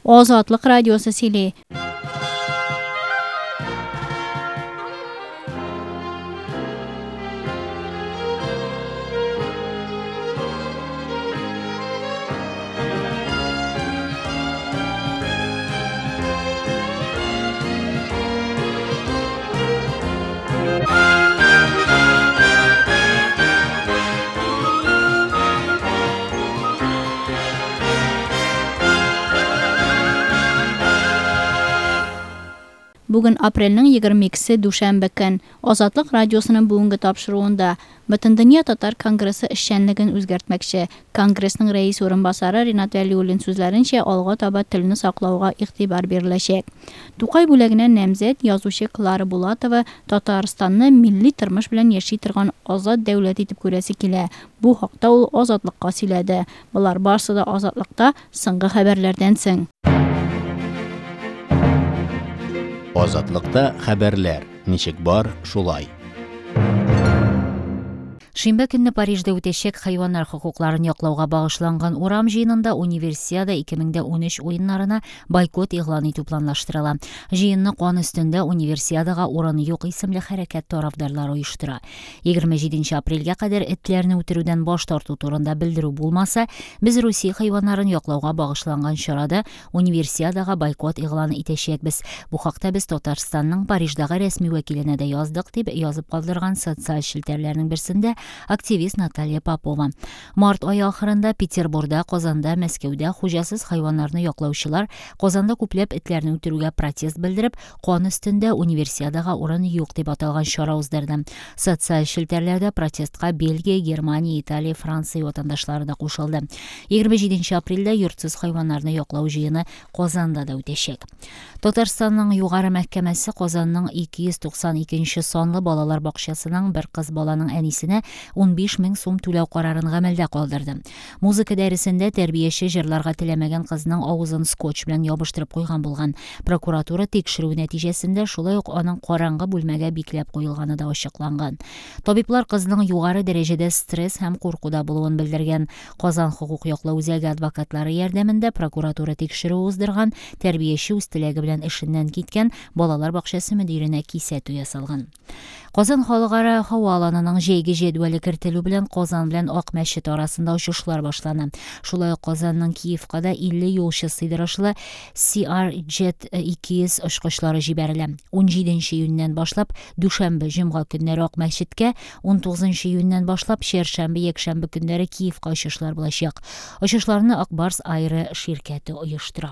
Азатлык радиосы сөйли. Бүген апрельнең 22-се дүшәмбе көн. Азатлык радиосының бүгенге тапшыруында Бөтендөнья татар конгрессы эшчәнлеген үзгәртмәкче. Конгрессның рәис урынбасары Ринат Вәлиуллин сүзләренчә, алга таба телне саклауга игътибар биреләчәк. Тукай бүләгенә намзәт язучы Клара Булатова Татарстанны милли тормыш белән яши торган азат дәүләт итеп күрәсе килә. Бу хакта ул Азатлыкка сөйләде. Болар барсы да Азатлыкта соңгы хәбәрләрдән соң. Азатлыкта хәбәрләр ничек бар, шулай. Шимбә көнне Парижда үтәчәк хайваннар хокукларын яклауга багышланган урам җыенында Универсиада 2013 уеннарына бойкот игълан итү планлаштырыла. Җыенны кан өстендә Универсиадага урын юк исемле хәрәкәт тарафдарлары оештыра. 27 апрельгә кадәр этләрне үтерүдән баш тарту турында белдерү булмаса, без Русия хайваннарын яклауга багышланган чарада Универсиадага бойкот игълан итәчәкбез. Бу хакта без Татарстанның Париждагы рәсми вәкиленә дә яздык, дип язып калдырган социаль челтәрләрнең берсендә активист Наталья Попова. Март ае ахырында Петербурда, Казанда, Мәскәүдә хуҗасыз хайваннарны яклаучылар Казанда күпләп этләрне үтерүгә протест белдереп, кан өстендә Универсиадага урын юк дип аталган чара уздырды. Социаль челтәрләрдә протестка Бельгия, Германия, Италия, Франция ватандашлары да кушылды. 27 апрельдә йортсыз хайваннарны яклау җыены Казанда да үтәчәк. Татарстанның югары мәхкәмәсе Казанның 292 санлы балалар бакчасының бер кыз баланың әнисенә 15 мең сум түләү карарын гамәлдә калдырды. Музыка дәресендә тәрбияче җырларга теләмәгән кызның авызын скотч белән ябыштырып куйган булган. Прокуратура тикшерү нәтиҗәсендә шулай ук аның караңгы бүлмәгә бикләп куелганы да ачыкланган. Табиблар кызның югары дәрәҗәдә стресс һәм куркуда булуын белдергән. Казан хокук яклау үзәге адвокатлары ярдәмендә прокуратура тикшерү уздырган, тәрбияче үз теләге белән эшеннән киткән, балалар бакчасы мөдиренә кисәтү ясалган. Казан халыкара һава аланының җәйге җәдвәле кертелү белән Казан белән Ак мәчет арасында очышлар башлана. Шулай ук Казанның Киевка да 50 юлчы сыйдырышлы CRJ 200 очкычлары җибәрелә. 17 июньнән башлап дүшәмбе, җомга көннәре Ак мәчеткә, 19 июньнән башлап чәршәмбе, якшәмбе көннәре Киевка очышлар булачак. Очышларны Ак Барс Аэро ширкәте оештыра.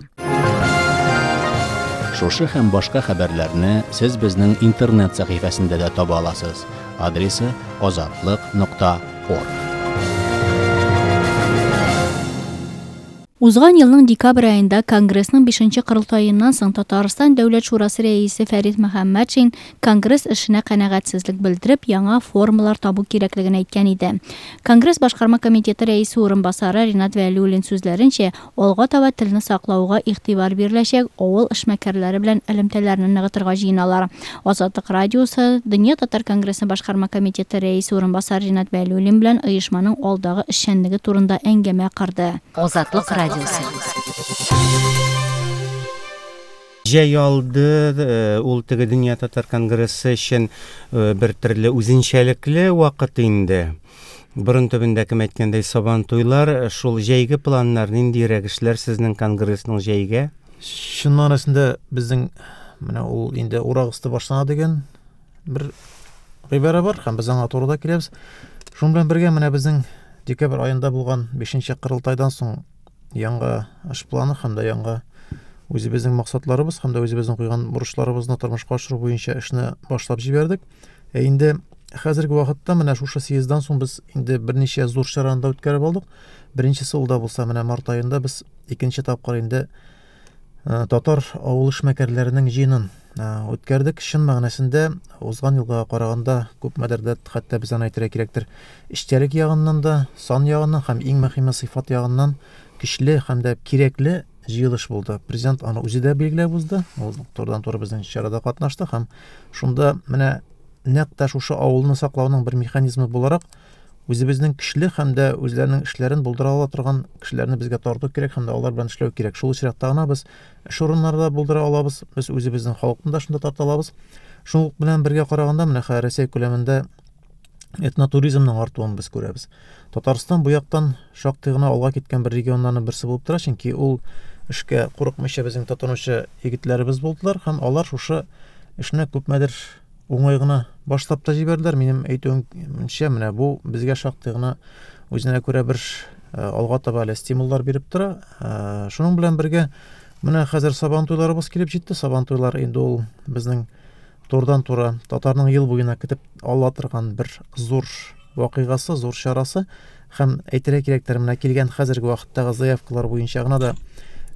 Шушы һәм башка хәбәрләрне сез безнең интернет сәхифәсендә дә таба аласыз. Адресы azatliq.org. Узган елның декабрь аенда Конгрессның 5нче корылтаеннан соң Татарстан Дәүләт шурасы рәисе Фәрит Мөхәммәтшин Конгресс эшенә канәгатьсезлек белдереп, яңа формалар табу кирәклеген әйткән иде. Конгресс башкарма комитеты рәисе урынбасары Ринат Вәлиуллин сүзләренчә, алга таба телне саклауга игътибар биреләчәк, авыл эшмәкәрләре белән элемтәләрне ныгытырга җыеналар. Азатлык радиосы Дөнья татар конгрессы башкарма комитеты рәисе урынбасары Ринат Вәлиуллин белән оешманың алдагы эшчәнлеге турында әңгәмә корды. Азатлык радиосы. Җәй алды, ул теге Дөнья татар конгрессы өчен бер төрле үзенчәлекле вакыт инде. Борын төбендә, кем әйткәндәй, сабан туйлар, шул җәйге планнар, ниндирәк эшләр сезнең конгрессның җәйгә? Чын мәгънәсендә безнең менә ул инде урак өсте башлана дигән бер гыйбарә бар һәм без аңа туры да киләбез. Шуның белән бергә менә безнең декабрь аенда булган 5нче корылтайдан соң яңа эш планы һәм дә яңа үзебезнең максатларыбыз һәм дә үзебезнең куйган бурычларыбызны тормышка ашыру буенча эшне башлап җибәрдек. Ә инде хәзерге вакытта менә шушы съезддан соң без инде берничә зур чараны да үткәреп алдык. Беренчесе ул да булса менә март аенда без икенче тапкыр инде татар авыл эшмәкәрләренең җыенын үткәрдек. Чын мәгънәсендә узган елга караганда күпмедер дә, хәтта без аны әйтергә кирәктер, эчтәлек ягыннан да, сан ягыннан һәм иң мөһиме сыйфат ягыннан көчле һәм дә кирәкле җыелыш булды. Президент аны үзе дә билгеләп узды. Ул турыдан-туры безнең чарада катнашты һәм шунда менә нәкъ тә шушы авылны саклауның бер механизмы буларак Үзебезнең көчле һәм дә үзләренең эшләрен булдыра ала торган кешеләрне безгә тарту кирәк һәм дә алар белән эшләү кирәк. Шул очракта гына без эш урыннары да булдыра алабыз, без үзебезнең халыкны да шунда тарта алабыз. Шул белән бергә караганда, менә хәзер Рәсәй күләмендә этнотуризмның артуын без күрәбез. Татарстан бу яктан шактый гына алга киткән бер регионнарның берсе булып тора, чөнки ул эшкә курыкмыйча безнең тотынучы егетләребез булдылар һәм алар шушы эшне күпмедер уңай гына башлап та җибәрделәр. Минем әйтүемчә, менә бу безгә шактый гына үзенә күрә бер э, алга таба әле стимуллар биреп тора. Э, шуның белән бергә менә хәзер Сабан туйларыбыз килеп җитте. Сабан туйлар инде ул безнең турыдан-туры татарның ел буена көтеп ала торган бер зур вакыйгасы, зур чарасы. Һәм әйтергә кирәктер, менә килгән хәзерге вакыттагы заявкалар буенча гына да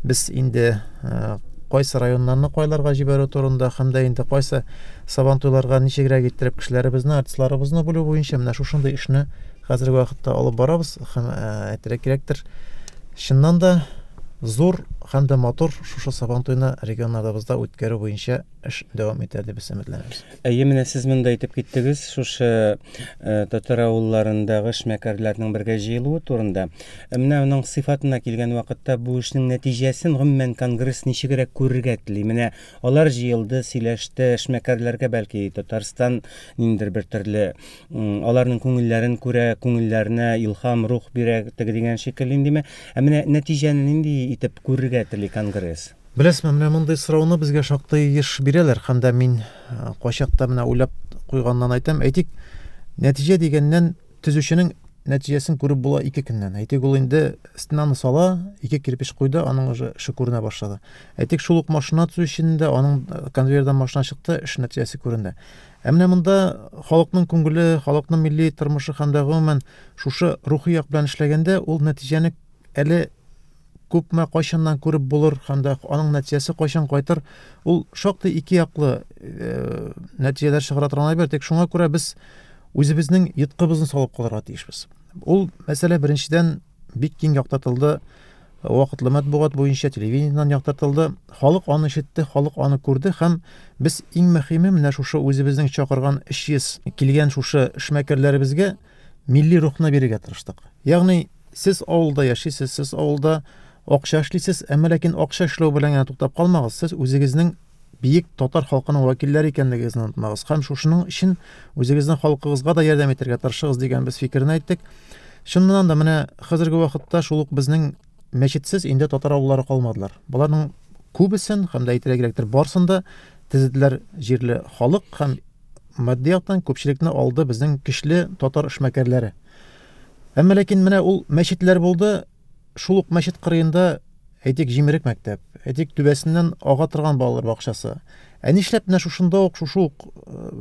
без инде э, кайсы районнарны кайларга җибәрү турында һәм дә инде кайсы сабантуйларга ничегрәк иттереп кешеләребезне, артистларыбызны бүлү буенча менә шушындый эшне хәзерге вакытта алып барабыз һәм э, әйтергә кирәктер, чыннан да зур һәм дә матур шушы сабантуйны регионнарыбызда үткәрү буенча эш дәвам итә дип без өметләнәбез. Әйе, менә сез монда әйтеп киттегез, шушы э, татар авылларындагы эшмәкәрләрнең бергә җыелуы турында. Ә менә аның сыйфатына килгән вакытта бу эшнең нәтиҗәсен гомумән конгресс ничегрәк күрергә тели? Менә алар җыелды, сөйләште, эшмәкәрләргә бәлки Татарстан ниндидер бер төрле аларның күңелләрен күрә, күңелләренә илһам, рух бирә теге дигән шикелле индеме? Ә менә нәтиҗәне нинди итеп күрергә тели конгресс? Беләсезме, менә мондый сорауны безгә шактый еш бирәләр һәм дә мин э, кайчакта менә уйлап куйганнан әйтәм. Әйтик, нәтиҗә дигәннән төзүченең нәтиҗәсен күреп була ике көннән. Әйтик, ул инде стенаны сала, ике кирпеч куйды, аның уже эше күренә башлады. Әйтик, шул ук машина төзүченең дә аның э, конвейердан машина чыкты, эш нәтиҗәсе күренде. Ә менә монда халыкның күңеле, халыкның милли тормышы һәм дә гомумән шушы рухи як белән эшләгәндә ул нәтиҗәне әле күпме кайчаннан күреп булыр һәм дә аның нәтиҗәсе кайчан кайтыр, ул шактый ике яклы э, нәтиҗәләр чыгара торган әйбер. Тик шуңа күрә без үзебезнең йоткыбызны салып калырга тиешбез. Ул мәсьәлә беренчедән бик киң яктыртылды. Вакытлы матбугат буенча телевидениедән яктыртылды. Халык аны ишетте, халык аны күрде һәм без иң мөһиме менә шушы үзебезнең чакырган 300 килгән шушы эшмәкәрләребезгә милли рухны бирергә тырыштык. Ягъни Сез авылда яшисез, сез авылда акча эшлисез, әмма ләкин акча эшләү белән генә туктап калмагыз, сез үзегезнең биек татар халкының вәкилләре икәнлегегезне онытмагыз һәм шушының өчен үзегезнең халкыгызга да ярдәм итәргә тырышыгыз дигән без фикерне әйттек. Чыннан да менә хәзерге вакытта шул ук безнең мәчетсез инде татар авыллары калмадылар. Боларның күбесен һәм дә әйтергә кирәктер, барсын да төзеделәр җирле халык һәм матди яктан күпчелекне алды безнең көчле татар эшмәкәрләре. Әмма ләкин менә ул мәчетләр булды, шул ук мәчет кырыенда, әйтик, җимерек мәктәп, әйтик, түбәсеннән ага торган балалар бакчасы. Ә нишләп менә шушында ук, шушы ук э,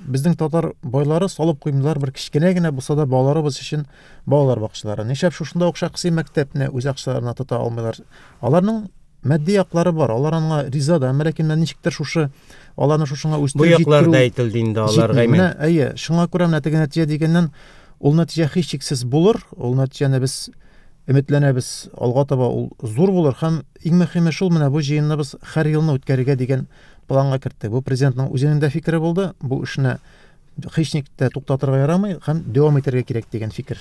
безнең татар байлары салып куймыйлар бер кечкенә генә булса да балаларыбыз өчен балалар бакчалары. Нишләп шушында ук шәхси мәктәпне үз акчаларына тота алмыйлар? Аларның матди яклары бар, алар аңа риза да, әмма ләкин менә ничектер шушы аларны шушыңа үстереп Бу яклар да әйтелде инде аларга. Менә әйе, шуңа күрә менә теге нәтиҗә дигәннән ул нәтиҗә һичшиксез булыр, ул нәтиҗәне без өметләнәбез, алга таба ул зур булыр һәм иң мөһиме шул менә бу җыенны без һәр елны үткәрергә дигән планга керттек. Бу президентның үзенең дә фикере булды, бу эшне һичник тә туктатырга ярамый һәм дәвам итәргә кирәк дигән фикер.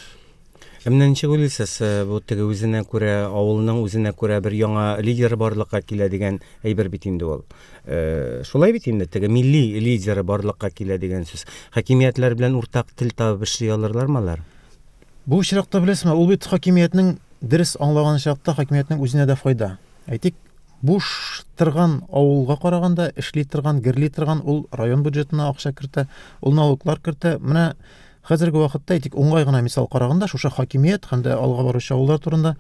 Ә менә ничек уйлыйсыз, э, бу теге үзенә күрә авылның үзенә күрә бер яңа лидеры барлыкка килә дигән әйбер бит инде ул. Э, шулай бит инде теге милли лидеры барлыкка килә дигән сүз. Хакимиятләр белән уртак тел табып эшли алырлармы алар? Бу очракта беләсезме, ул бит хакимиятнең дөрес аңлаган очракта хакимиятнең үзенә дә файда. Әйтик, буш торган авылга караганда эшли торган, герли торган ул район бюджетына акча кертә, ул налоглар кертә. Менә Хәзерге вакытта, әйтик, уңай гына мисал караганда, шушы хакимият һәм дә алга баручы авыллар турында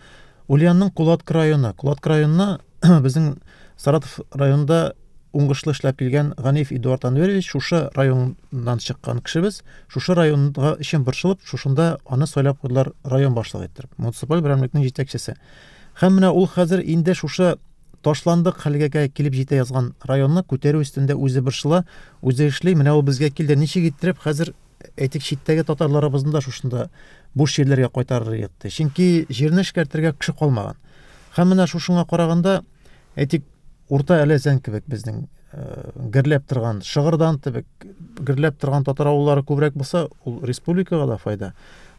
Ульянның Кулатка районы. Кулатка районына безнең Саратов районында уңышлы эшләп килгән Ганиев Эдуард Анверович шушы районнан чыккан кешебез, шушы районга өчен борчылып, шушында аны сайлап куйдылар район башлыгы иттереп, муниципаль берәмлекнең җитәкчесе. Һәм менә ул хәзер инде шушы ташландык хәлгә килеп җитә язган районны күтәрү өстендә үзе борчыла, үзе эшли. Менә ул безгә килде. Ничек иттереп хәзер әйтик, читтәге татарларыбызны да шушында буш җирләргә кайтарыр идек. Чөнки җирне эшкәртергә кеше калмаган. Һәм менә шушыңа караганда, әйтик, Урта Әләзән кебек безнең э, гөрләп торган, Шыгырдан кебек гөрләп торган татар авыллары күбрәк булса, ул республикага да файда.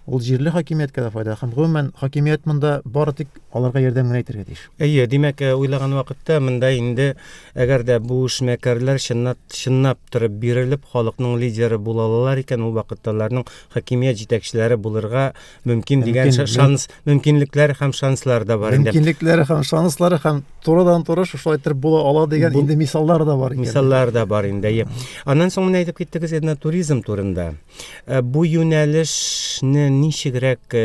Ул җирле хакимияткә дә файда һәм гомумән хакимият монда бары тик аларга ярдәм генә итәргә тиеш. Әйе, димәк, уйлаган вакытта монда инде әгәр дә бу эшмәкәрләр чынлап чынлап торып бирелеп халыкның лидеры була алалар икән, ул вакытта аларның хакимият җитәкчеләре булырга мөмкин дигән шанс, мөмкинлекләр һәм шанслар да бар инде. Мөмкинлекләре һәм шанслары һәм турыдан-туры шушылай итеп була ала дигән инде мисаллар да бар икән. Мисаллар да бар инде. Әйе. Аннан соң менә әйтеп киттегез этнотуризм турында. Бу юнәлешне ничегрәк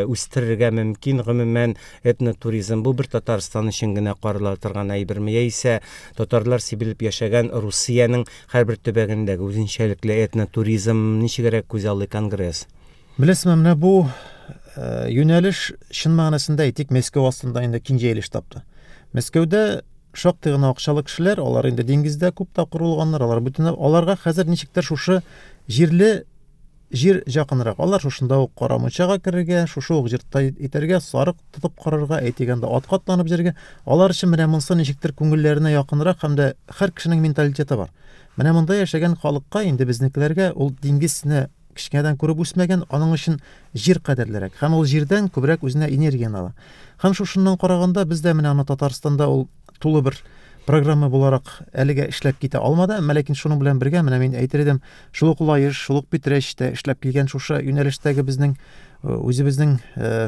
үстерергә мөмкин, гомумән этнотуризм бу бер Татарстан өчен генә карала торган әйберме, яисә татарлар сибелеп яшәгән Русиянең һәрбер төбәгендәге үзенчәлекле этнотуризм ничегрәк күзаллый конгресс? Беләсезме, менә бу юнәлеш чын мәгънәсендә әйтик, Мәскәү астында инде киң җәелеш тапты. Мәскәүдә шактый гына акчалы кешеләр, алар инде диңгездә күп тапкыр булганнар, алар бөтен аларга хәзер ничектер шушы җирле җир якынрак. Алар шушында ук кара мунчага керергә, шушы ук җиртта итәргә, сарык тотып карарга, әйтик анда атка атланып җиргә. Алар өчен менә монысы ничектер күңелләренә якынрак һәм дә һәр кешенең менталитеты бар. Менә монда яшәгән халыкка инде безнекеләргә ул диңгезне кечкенәдән күреп үсмәгән, аның өчен җир кадерлерәк. Һәм ул җирдән күбрәк үзенә энергияне ала. Һәм шушыннан караганда без дә менә аны Татарстанда ул тулы бер программа буларак әлегә эшләп китә алмады. Әмма ләкин шуның белән бергә менә мин әйтер идем, шул ук Лаеш, шул ук Питрәчтә эшләп килгән шушы юнәлештәге безнең үзебезнең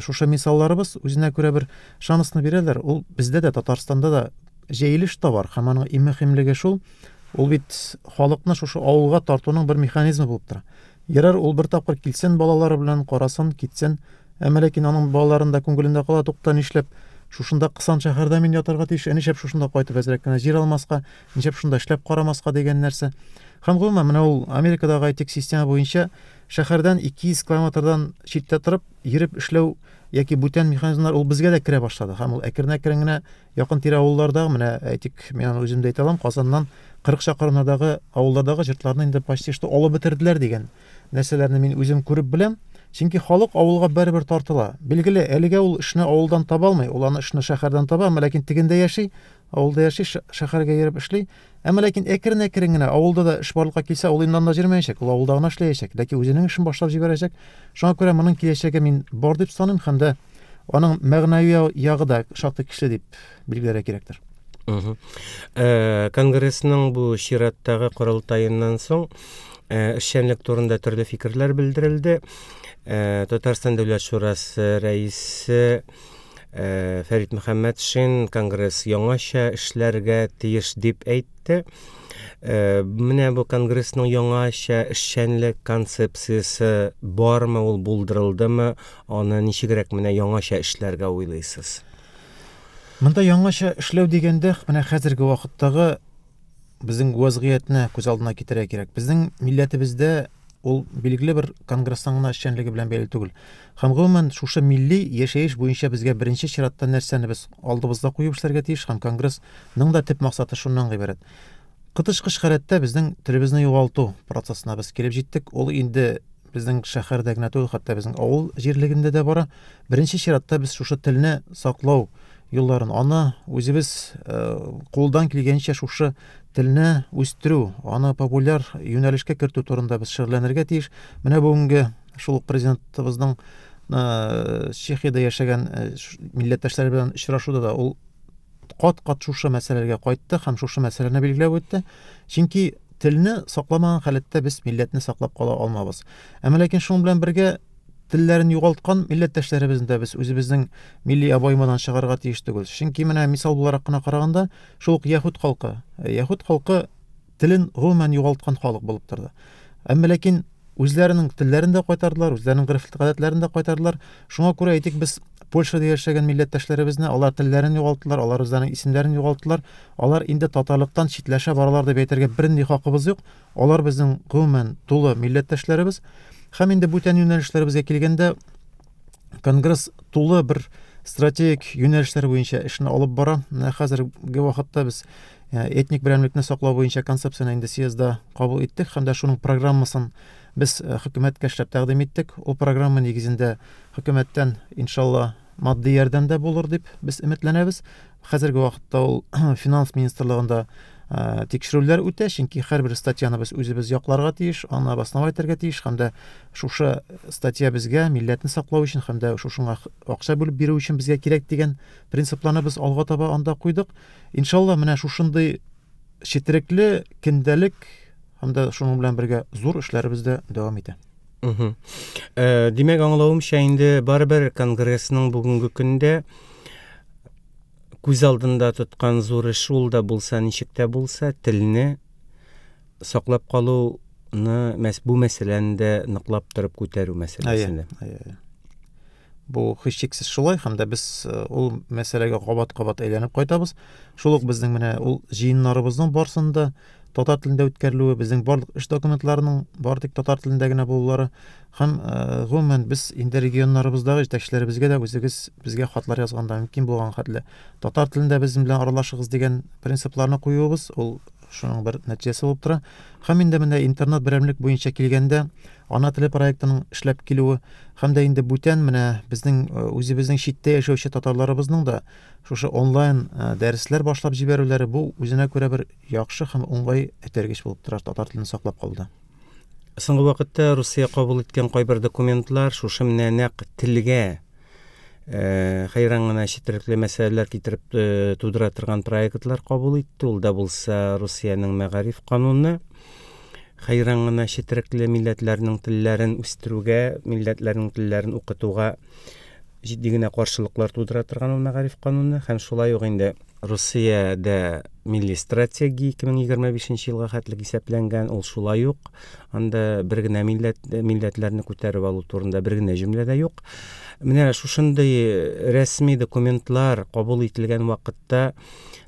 шушы мисалларыбыз үзенә күрә бер шансны бирәләр. Ул бездә дә Татарстанда да җәелеш табар һәм аның иң мөһимлеге шул, ул бит халыкны шушы авылга тартуның бер механизмы булып тора. Ярар, ул бер тапкыр килсен балалары белән, карасын, китсен. Әмма ләкин аның балаларында күңелендә кала, тукта, нишләп шушында кысан шәһәрдә мин ятарга тиеш, ә нишләп шушында кайтып әзрәк кенә җир алмаска, нишләп шунда эшләп карамаска дигән нәрсә. Һәм гомумән, менә ул Америкадагы әйтик система буенча шәһәрдән 200 километрдан читтә торып, йөреп эшләү яки бүтән механизмнар ул безгә дә керә башлады. Һәм ул әкрен-әкрен генә якын-тирә авыллардагы, менә әйтик, мин аны үзем дә әйтә алам, Казаннан 40 чакрымнардагы авыллардагы җортларны инде почти что алып бетерделәр дигән нәрсәләрне мин үзем күреп беләм. Чөнки халык авылга барыбер тартыла. Билгеле, әлегә ул эшне авылдан таба алмый, ул аны эшне шәһәрдән таба, әмма ләкин тегендә яши, авылда яши, шәһәргә йөреп эшли. Әмма ләкин әкрен-әкрен генә авылда да эш барлыкка килсә, ул инде анда йөрмәячәк, ул авылда гына эшләячәк, ләкин үзенең эшен башлап җибәрәчәк. Шуңа күрә моның киләчәге мин бар дип саныйм һәм дә аның мәгънәви ягы да шактый көчле дип билгеләргә кирәктер. Конгрессның бу чираттагы корылтаеннан соң эшчәнлек турында төрле фикерләр белдерелде. Татарстан Дәүләт шурасы рәисе Фәрит Мөхәммәтшин конгресс яңача эшләргә тиеш дип әйтте. Менә бу конгрессның яңача эшчәнлек концепциясе бармы, ул булдырылдымы, аны ничегрәк менә яңача эшләргә уйлыйсыз? Монда яңача эшләү дигәндә, менә хәзерге вакыттагы безнең вазгыятьне күз алдына китерергә кирәк. Безнең милләтебездә ул билгеле бер конгресстан гына эшчәнлеге белән бәйле түгел. Һәм гомумән шушы милли яшәеш буенча безгә беренче чиратта нәрсәне без алдыбызда куеп эшләргә тиеш һәм конгрессның да төп максаты шуннан гыйбарәт. Коточкыч халәттә безнең телебезне югалту процессына без килеп җиттек. Ул инде безнең шәһәрдә генә түгел, хәтта безнең авыл җирлегендә дә бара. Беренче чиратта без шушы телне саклау юлларын, аны үзебез кулдан килгәнчә шушы телне үстерү, аны популяр юнәлешкә кертү турында без шөгыльләнергә тиеш. Менә бүгенге шул ук президентыбызның Чехиядә яшәгән милләттәшләре белән очрашуда да ул кат-кат шушы мәсьәләгә кайтты һәм шушы мәсьәләне билгеләп үтте. Чөнки телне сакламаган халәттә без милләтне саклап кала алмабыз. Әмма ләкин шуның белән бергә телләрен югалткан милләттәшләребезне дә без үзебезнең милли обоймадан чыгарырга тиеш түгел. Чөнки менә мисал буларак кына караганда, шул ук яһүд халкы, яһүд халкы телен гомумән югалткан халык булып торды. Әмма ләкин үзләренең телләрен дә кайтардылар, үзләренең гореф-гадәтләрен дә кайтардылар. Шуңа күрә әйтик, без Польшада яшәгән милләттәшләребезне, алар телләрен югалттылар, алар үзләренең исемнәрен югалттылар. Алар инде татарлыктан читләшә баралар дип әйтергә бернинди хакыбыз юк. Алар безнең гомумән тулы милләттәшләребез. Һәм инде бүтән юнәлешләребезгә килгәндә, конгресс тулы бер стратегик юнәлешләр буенча эшне алып бара. Менә хәзерге вакытта без этник берәмлекне саклау буенча концепцияне инде съездда кабул иттек һәм дә шуның программасын без хөкүмәткә эшләп тәкъдим иттек. Ул программа нигезендә хөкүмәттән, иншалла, матди ярдәм дә булыр дип без өметләнәбез. Хәзерге вакытта ул финанс министрлыгында Тикшерүләр үтә, чөнки һәрбер статьяны без үзебез якларга тиеш, аны обосновать итәргә тиеш һәм дә шушы статья безгә милләтне саклау өчен һәм дә шушыңа акча бүлеп бирү өчен безгә кирәк дигән принципларны без алга таба анда куйдык. Иншалла, менә шушындый четерекле көндәлек һәм дә шуның белән бергә зур эшләребез дә дәвам итә. Димәк, аңлавымча, инде барыбер конгрессның бүгенге көндә күз алдында тоткан зур эш ул да булса, ничек тә булса, телне саклап калуны, бу мәсьәләне дә ныклап торып күтәрү мәсьәләсендә. Әйе, әйе. Бу һичшиксез шулай, һәм дә без ул мәсьәләгә кабат-кабат әйләнеп кайтабыз. Шул ук безнең менә ул җыеннарыбызның барсында татар телендә үткәрелүе, безнең барлык эш документларының бары тик татар телендә генә булулары һәм гомумән без инде регионнарыбыздагы җитәкчеләребезгә дә үзегез безгә хатлар язганда мөмкин булган хәтле татар телендә безнең белән аралашыгыз дигән принципларны куюыбыз, ул шуның бер нәтиҗәсе булып тора. Һәм инде менә интернет берәмлек буенча килгәндә, Ана теле проектының эшләп килүе һәм дә инде бүтән менә безнең үзебезнең читтә яшәүче татарларыбызның да шушы онлайн дәресләр башлап җибәрүләре, бу үзенә күрә бер яхшы һәм уңай этәргеч булып тора татар телен саклап калуда. Соңгы вакытта Русия кабул иткән кайбер документлар шушы менә нәкъ телгә хәйран гына четерекле мәсьәләләр китереп тудыра торган проектлар кабул итте. Ул да булса Русиянең мәгариф кануны, хәйран гына четерекле милләтләрнең телләрен үстерүгә, милләтләрнең телләрен укытуга җитди генә каршылыклар тудыра торган ул мәгариф кануны һәм шулай ук инде Русиядә милли стратегия 2025 елга хәтлек исәпләнгән, ул шулай ук анда бер генә милләт, милләтләрне күтәреп алу турында бер генә җөмлә дә юк. Менә шушындый рәсми документлар кабул ителгән вакытта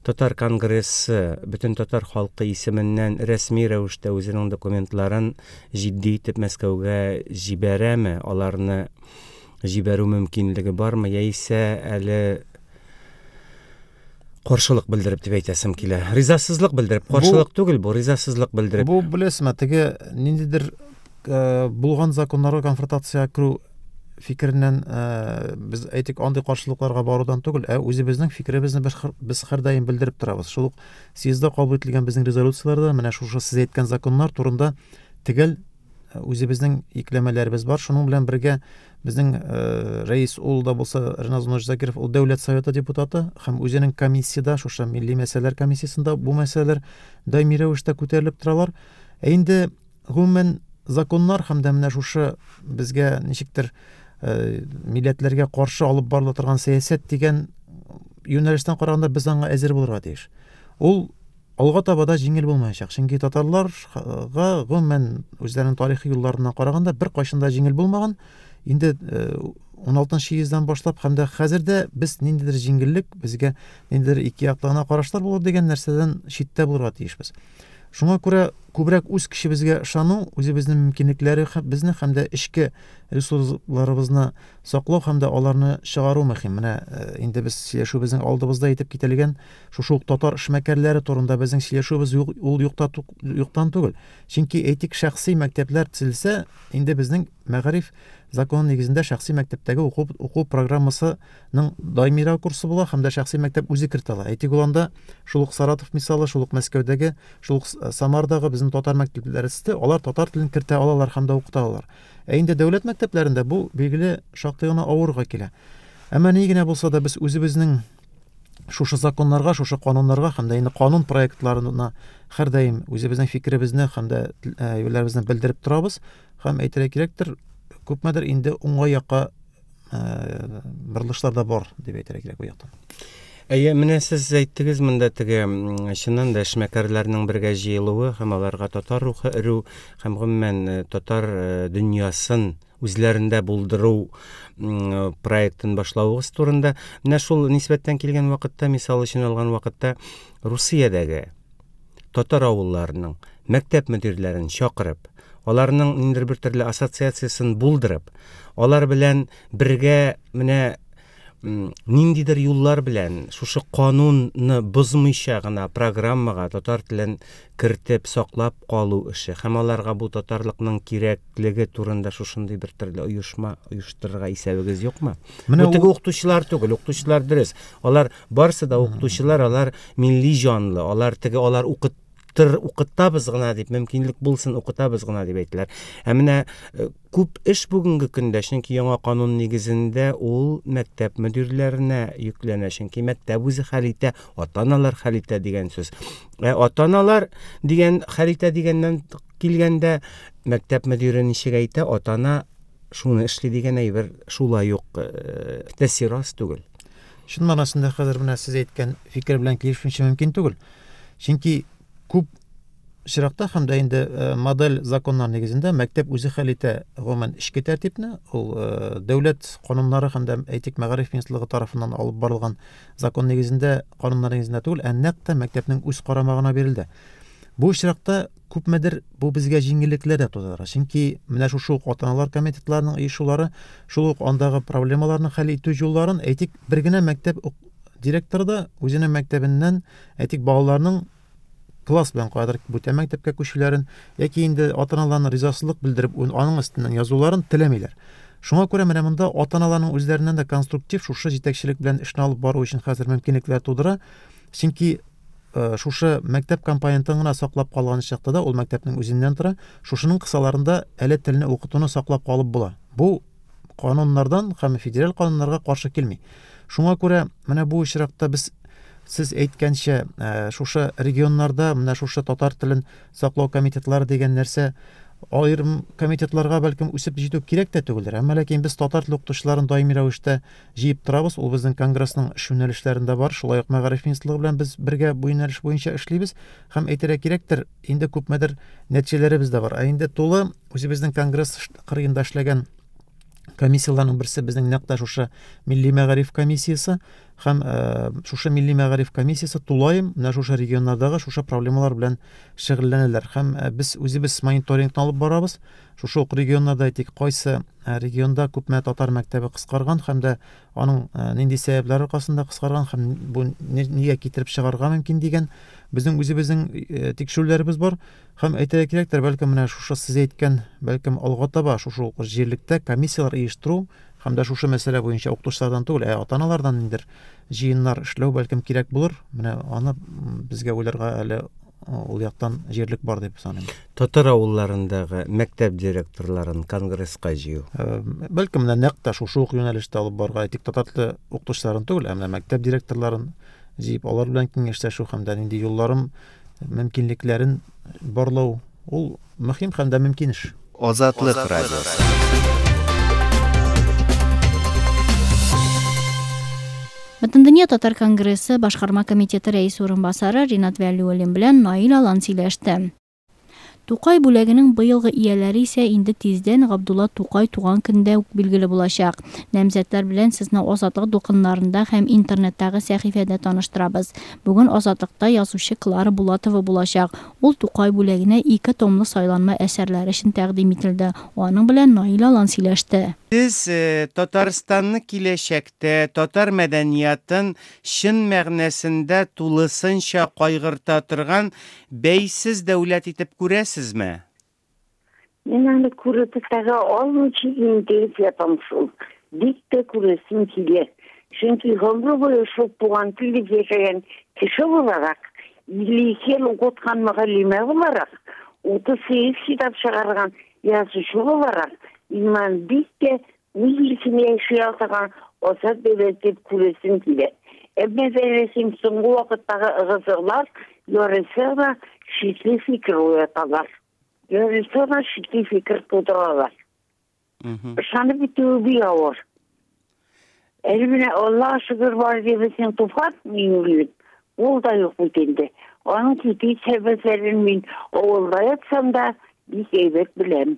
Татар конгрессы бөтен татар халкы исеменнән рәсми рәвештә үзенең документларын җитди итеп Мәскәүгә җибәрәме, аларны җибәрү мөмкинлеге бармы, яисә әле каршылык белдереп дип әйтәсем килә. Ризасызлык белдереп, каршылык түгел бу, ризасызлык белдереп. Бу беләсезме, теге ниндидер булган законнарга конфронтация керү фикереннән без әйтик, андый каршылыкларга барудан түгел, ә үзебезнең фикеребезне без һәрдаим белдереп торабыз. Шул ук съездда кабул ителгән безнең резолюцияләрдә менә шушы сез әйткән законнар турында төгәл үзебезнең икләмәләребез бар. Шуның белән бергә безнең рәис ул да булса Ренат Зунович Закиров, ул Дәүләт Советы депутаты һәм үзенең комиссияда, шушы милли мәсьәләләр комиссиясендә бу мәсьәләләр даими рәвештә күтәрелеп торалар. Ә инде гомумән законнар һәм дә менә шушы безгә ничектер милләтләргә каршы алып барыла торган сәясәт дигән юнәлештән караганда без аңа әзер булырга тиеш. Ул алга таба да җиңел булмаячак, чөнки татарларга гомумән үзләренең тарихи юлларына караганда бер кайчан да җиңел булмаган. Инде 16 йөздән башлап һәм дә хәзер дә без ниндидер җиңеллек, безгә ниндидер ике яклы гына карашлар булыр дигән нәрсәдән читтә булырга тиешбез. Шуңа күрә күбрәк үз көчебезгә ышану, үзебезнең мөмкинлекләре безне һәм дә эчке ресурсларыбызны саклау һәм дә аларны чыгару мөһим. Менә инде без сөйләшүебезнең алдыбызда әйтеп кителгән шушы ук татар эшмәкәрләре турында безнең сөйләшүебез юк, ул юкта юктан түгел. Чөнки әйтик, шәхси мәктәпләр төзелсә, инде безнең мәгариф законы нигезендә шәхси мәктәптәге уку, уку программасының даимирәк курсы була һәм дә шәхси мәктәп үзе кертә ала. Әйтик, ул анда шул ук Саратов мисалы, шул ук Мәскәүдәге, шул ук Самардагы безнең татар мәктәпләре төзде, алар татар телен кертә алалар һәм дә укыта алалар. Ә инде дәүләт мәктәпләрендә бу билгеле шактый гына авырга килә. Әмма ни генә булса да без үзебезнең шушы законнарга, шушы кануннарга һәм дә инде канун проектларына һәрдаим үзебезнең фикеребезне һәм дә әйберләребезне белдереп торабыз. Һәм әйтергә кирәктер, күпмедер инде уңай якка борылышлар да бар дип әйтергә кирәк бу яктан. Әйе, менә сез әйттегез монда теге чыннан да эшмәкәрләрнең бергә җыелуы һәм аларга татар рухы өрү һәм гомумән татар дөньясын үзләрендә булдыру проектын башлавыгыз турында. Менә шул нисбәттән килгән вакытта, мисал өчен алган вакытта, Русиядәге татар авылларының мәктәп мөдирләрен чакырып, аларның ниндидер бер төрле ассоциациясен булдырып, алар белән бергә менә Ниндидер юллар белән шушы канунны бозмыйча гына программага татар телен кертеп саклап калу эше һәм аларга бу татарлыкның кирәклеге турында шушындый бер төрле оешма оештырырга исәбегез юкмы? Менә теге укытучылар түгел, укытучылар дөрес. Алар барысы да укытучылар, алар милли җанлы, алар теге алар укыт укытабыз гына дип, мөмкинлек булсын укытабыз гына дип әйтәләр. Ә менә күп эш бүгенге көндә, чөнки яңа канун нигезендә ул мәктәп мөдирләренә йөкләнә, чөнки мәктәп үзе хәл итә, ата-аналар хәл итә дигән сүз. Ә ата-аналар дигән хәл итә дигәннән килгәндә мәктәп мөдире ничек әйтә, ата-ана шуны эшли дигән әйбер шулай ук тәэсир аз түгел. Чын мәгънәсендә хәзер менә сез әйткән фикер белән килешмичә мөмкин түгел. Чөнки күп очракта һәм дә инде модель законнар нигезендә мәктәп үзе хәл итә гомумән эчке тәртипне. Ул дәүләт кануннары һәм дә, әйтик, мәгариф министрлыгы тарафыннан алып барылган закон нигезендә, кануннар нигезендә түгел, ә нәкъ тә мәктәпнең үз карамагына бирелде. Бу очракта күпмедер бу безгә җиңеллекләр дә тудыра. Чөнки менә шушы ук ата-аналар комитетларының оешулары, шул ук андагы проблемаларны хәл итү юлларын, әйтик, бер генә мәктәп директоры да үзенең мәктәбеннән, әйтик, балаларның класс белән каядыр бүтән мәктәпкә күчүләрен яки инде ата-аналарның ризасызлык белдереп аның өстеннән язуларын теләмиләр. Шуңа күрә менә монда ата-аналарның үзләреннән дә конструктив шушы җитәкчелек белән эшне алып бару өчен хәзер мөмкинлекләр тудыра. Чөнки шушы мәктәп компонентын гына саклап калган чакта да ул мәктәпнең үзеннән тора. Шушының кысаларында әле телне укытуны саклап калып була. Бу кануннардан һәм федераль кануннарга каршы килми. Шуңа күрә менә бу очракта без сез әйткәнчә, шушы регионнарда менә шушы татар телен саклау комитетлары дигән нәрсә аерым комитетларга бәлкем үсеп җитү кирәк тә түгелдер. Әмма ләкин без татар теле укытучыларын даими рәвештә җыеп торабыз. Ул безнең конгрессның эш юнәлешләрендә бар. Шулай ук мәгариф министрлыгы белән без бергә бу юнәлеш буенча эшлибез. Һәм әйтергә кирәктер, инде күпмедер нәтиҗәләребез дә бар. Ә инде тулы үзебезнең конгресс кырыенда эшләгән комиссияләрнең берсе безнең нәкъ тә шушы Милли мәгариф комиссиясе һәм шушы Милли мәгариф комиссиясе тулаем менә шушы регионнардагы шушы проблемалар белән шөгыльләнәләр. Һәм без үзебез мониторингны алып барабыз. Шушы ук регионнарда, әйтик, кайсы регионда күпме татар мәктәбе кыскарган һәм дә аның нинди сәбәпләр аркасында кыскарган һәм бу нигә китереп чыгарырга мөмкин дигән безнең үзебезнең тикшерүләребез бар. Һәм әйтергә кирәктер, бәлкем менә шушы сез әйткән, бәлкем алга таба шушы ук җирлектә комиссияләр оештыру һәм дә шушы мәсьәлә буенча укытучылардан түгел, ә ата-аналардан ниндидер җыеннар эшләү бәлкем кирәк булыр. Менә аны безгә уйларга әле ул яктан җирлек бар дип саныйм. Татар авылларындагы мәктәп директорларын конгресска җыю. Бәлкем менә нәкъ тә шушы ук юнәлештә алып барырга, әйтик, татар теле укытучыларын түгел, ә менә мәктәп директорларын җыеп, алар белән киңәшләшү һәм дә нинди юлларын, мөмкинлекләрен барлау ул мөһим һәм дә мөмкин эш. Азатлык радиосы. Бөтендөнья татар конгрессы башкарма комитеты рәисе урынбасары Ринат Вәлиуллин белән Наил Алан сөйләште. Тукай бүләгенең быелгы ияләре исә инде тиздән Габдулла Тукай туган көндә үк билгеле булачак. Намзәтләр белән сезне Азатлык дулкыннарында һәм интернеттагы сәхифәдә таныштырабыз. Бүген Азатлыкта язучы Клара Булатова булачак. Ул Тукай бүләгенә 2 томлы сайланма әсәрләре өчен тәкъдим ителде. Аның белән Наил Алан сөйләште. Сез Татарстанны киләчәктә татар мәдәниятын чын мәгънәсендә тулысынча кайгырта торган бәйсез дәүләт итеп күрәсезме? Мин аны күреп тага алмыйча инде ятам шул. Бик тә күрәсем килә. Чөнки гомер буе шул туган телдә яшәгән кеше буларак, 52 ел укыткан мөгаллимә буларак, 38 китап чыгарган язучы буларак, мин бик тә үз илкемә яши алган азат дәүләт дип күрәсем килә. Әмма ләкин соңгы вакыттагы ыгы-зыгылар ярыйсы гына шикле фикер уяталар. Ярыйсы гына шикле фикер тудыралар. Ышанып бетүе бик авыр. Әле менә Аллаһ шөкер бар дип безнең Туфан Миңнуллин, ул да юк бит инде. Аның китү сәбәпләрен мин авылда ятсам да бик әйбәт беләм.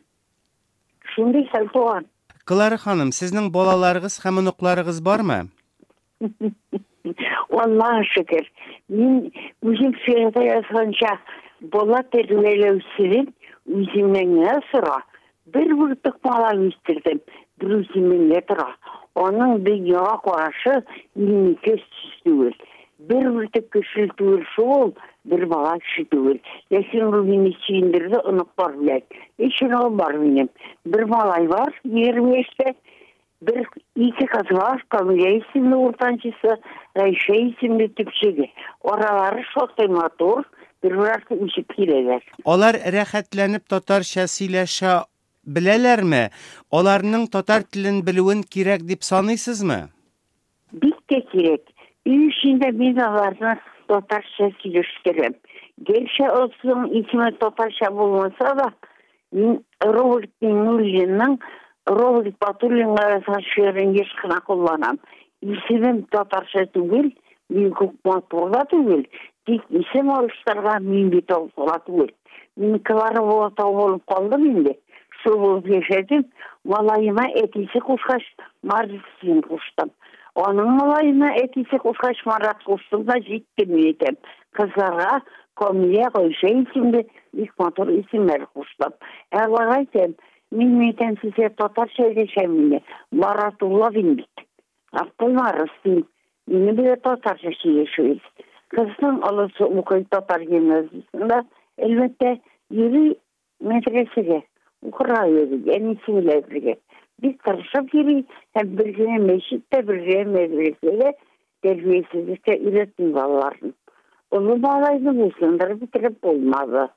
Шундый хәл туган. Клара ханым, сезнең балаларыгыз һәм оныкларыгыз бармы? Аллаһ шөкер. Мин үзем шигырьдә язганча бала тәрбияләүчедән үземнән генә сора. Бер бөртек бала үстердем, бер үземнән генә тора. Аның дөньяга карашы минеке түгел. Бер бөртек кеше түгел шул, бер бала кеше түгел. Ләкин ул мине сөендерде оныклар белән. Өч оныгым бар минем. Бер малай бар, 20 яшьтә. Бер ике кыз бар, Камилә исемле уртанчысы, Гайшә исемле төпчеге. Аралары шактый матур, бер-бер артлы үсеп киләләр. Алар рәхәтләнеп татарча сөйләшә беләләрме? Аларның татар телен белүен кирәк дип саныйсызмы? Бик тә кирәк. Өй эчендә мин аларны татарча сөйләштерәм. Гәрчә алсының исеме татарча булмаса да, мин Роберт Миңнуллинның Роберт Батуллинга язган шигырен еш кына кулланам. Исемем татарча түгел, мин күп матур да түгел, тик исем алыштырырга мин бит алсуга түгел. Мин Клара Булатова булып калдым инде. Шул булып яшәдем. Малаема әтисе кушкач, Марсин куштым. Аның малаена әтисе кушкач, Марат куштым да җитте, мин әйтәм. Кызларга Камилә, Гайшә исемле бик матур исемнәр куштым. Ә аларга әйтәм, мин әйтәм сезгә татарча әйтәм инде. Маратулла дим бит. Абдулмаров дим. Минем белән татарча сөйләшегез. Кызның олысы укый татар гимназиясендә, әлбәттә, йөри мәдрәсәгә, укырга йөри, әнисе белән бергә. Бик тырышып йөри һәм бер генә мәчет тә, бер генә мәдрәсә дә тәрбиясезлеккә өйрәтми балаларын. Олы малайны буйсындырып бетереп булмады.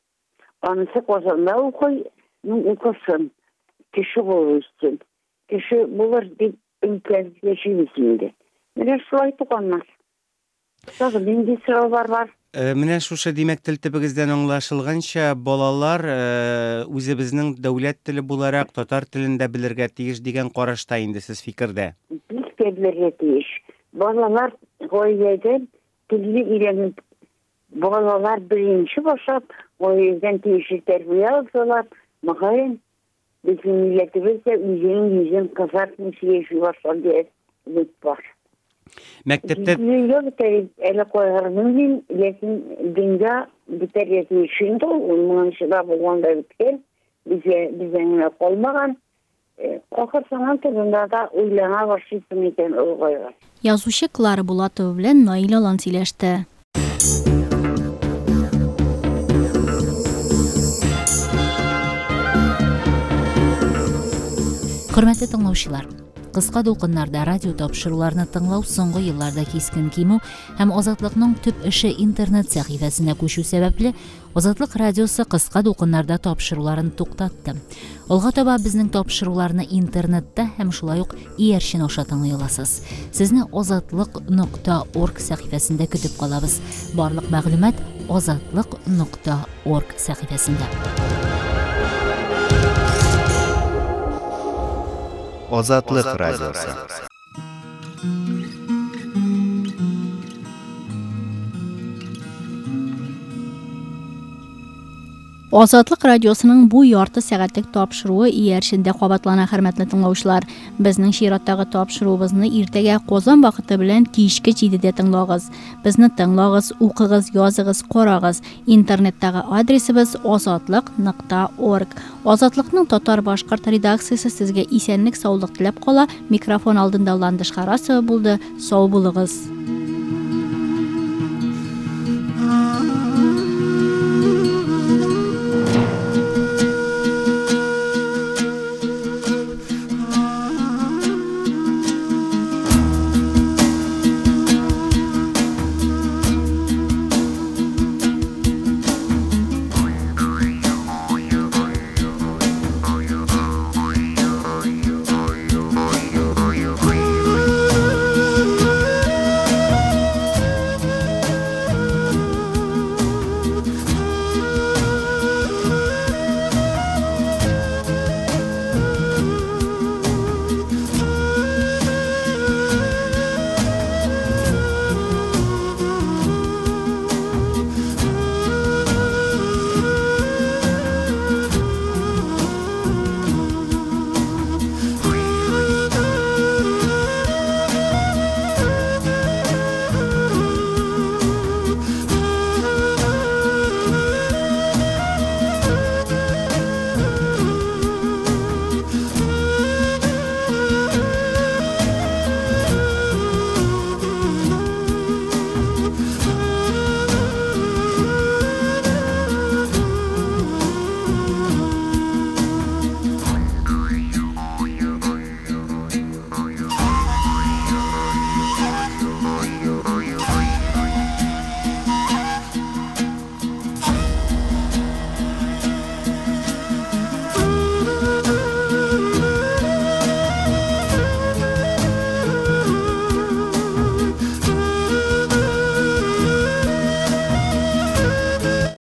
Анысы Казанда укый, ну укысын, кеше булып үссен. Кеше булыр дип өметләнеп яшибез инде. Менә шулай туганнар. Тагын нинди сораулар бар? Менә шушы, димәк, тел төбегездән аңлашылганча, балалар үзебезнең дәүләт теле буларак татар телен дә белергә тиеш дигән карашта инде сез фикердә. Бик тә белергә тиеш. Балалар гаиләдән телне өйрәнеп, балалар беренче башлап гаиләдән тиешле тәрбия алсалар, мөгаен, безнең милләтебез дә үзенең йөзен кызартмыйча яши башлар дигән өмет бар. Мәктәптә Дөнья бетәр әле кайгырмыйм мин, ләкин дөнья бетәргә тиеш инде ул, ул моңынчы да булган да беткән, безгә бездән генә калмаган. Ахыр заман турында да уйлана башлыйсың икән олыгайгач. Язучы Клара Булатова белән Наил Алан сөйләште. Хөрмәтле тыңлаучылар, кыска дулкыннарда радио тапшыруларны тыңлау соңгы елларда кискен кимү һәм Азатлыкның төп эше интернет сәхифәсенә күчү сәбәпле, Азатлык радиосы кыска дулкыннарда тапшыруларын туктатты. Алга таба безнең тапшыруларны интернетта һәм шулай ук иярчен аша тыңлый аласыз. Сезне азатлык.орг сәхифәсендә көтеп калабыз. Барлык мәгълүмат азатлык.орг сәхифәсендә. Азатлык радиосы. Азатлык радиосының бу ярты сәгатьлек тапшыруы иярчендә кабатлана, хөрмәтле тыңлаучылар. Безнең чираттагы тапшыруыбызны иртәгә Казан вакыты белән кичке 7-дә тыңлагыз. Безне тыңлагыз, укыгыз, языгыз, карагыз. Интернеттагы адресыбыз azatliq.org. Азатлыкның татар-башкорт редакциясе сезгә исәнлек, саулык теләп кала. Микрофон алдында Ландыш Харасова булды. Сау булыгыз.